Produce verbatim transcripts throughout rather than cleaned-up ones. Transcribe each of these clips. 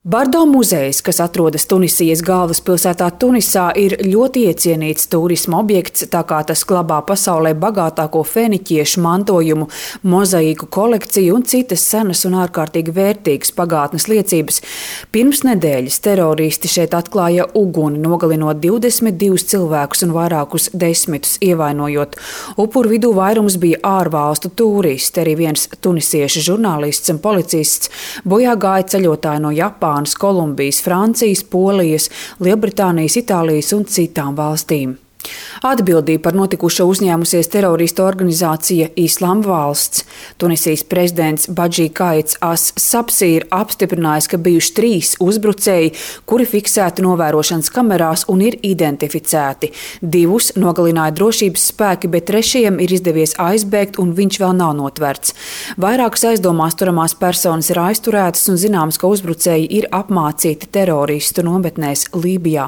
Bardo muzejs, kas atrodas Tunisijas galvaspilsētā Tunisā, ir ļoti iecienīts turisma objekts, tā kā tas glabā pasaulē bagātāko feniķiešu mantojumu, mozaīku kolekciju un citas senas un ārkārtīgi vērtīgas pagātnes liecības. Pirms nedēļas teroristi šeit atklāja uguni, nogalinot divdesmit divus cilvēkus un vairākus desmitus ievainojot. Upuru vidū vairums bija ārvalstu turisti, arī viens tunisiešu žurnālists un policists, bojā gāja ceļotāji no Japānas, Kolumbijas, Francijas, Polijas, Lielbritānijas, Itālijas un citām valstīm. Atbildību par notikušo uzņēmusies teroristu organizācija Islāma valsts. Tunisijas prezidents Badži Kaits as-Sabsi ir apstiprinājis, ka bijuši trīs uzbrucēji, kuri fiksēti novērošanas kamerās un ir identificēti. Divus nogalināja drošības spēki, bet trešajam ir izdevies aizbēgt un viņš vēl nav notverts. Vairākas aizdomās turamās personas ir aizturētas un zināms, ka uzbrucēji ir apmācīti teroristu nometnēs Lībijā.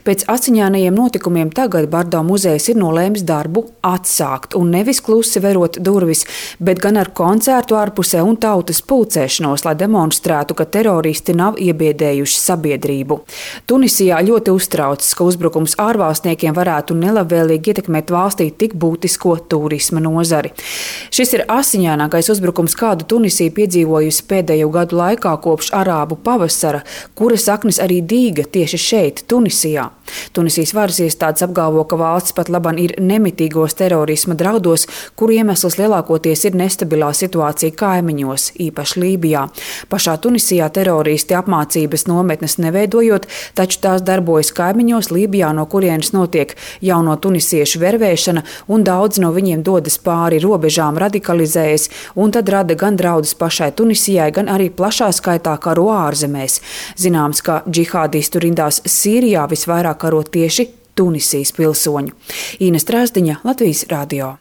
Pēc asiņainajiem notikumiem tagad Bardo muzejs ir nolēmis darbu atsākt un nevis klusi verot durvis, bet gan ar koncertu ārpusē un tautas pulcēšanos, lai demonstrētu, ka teroristi nav iebiedējuši sabiedrību. Tunisijā ļoti uztraucas, ka uzbrukums ārvalstniekiem varētu nelabvēlīgi ietekmēt valstī tik būtisko turisma nozari. Šis ir asiņainākais uzbrukums, kādu Tunisija piedzīvojusi pēdējo gadu laikā kopš arābu pavasara, kura saknes arī dīga tieši šeit, Tunisijā. Tunisijas varas iestādes apgalvo, ka valsts pat laban ir nemitīgos terorisma draudos, kuru iemesls lielākoties ir nestabilā situācija kaimiņos, īpaši Lībijā. Pašā Tunisijā teroristi apmācības nometnes neveidojot, taču tās darbojas kaimiņos Lībijā, no kurienes notiek jauno tunisiešu vervēšana, un daudz no viņiem dodas pāri robežām, radikalizējas, un tad rada gan draudus pašai Tunisijai, gan arī plašā skaitā karo ārzemēs. Zināms, ka džihādistu rindās Sīrijā visvairāk karo tieši Tunisijas pilsoņu. Īna Strāzdiņa, Latvijas radio.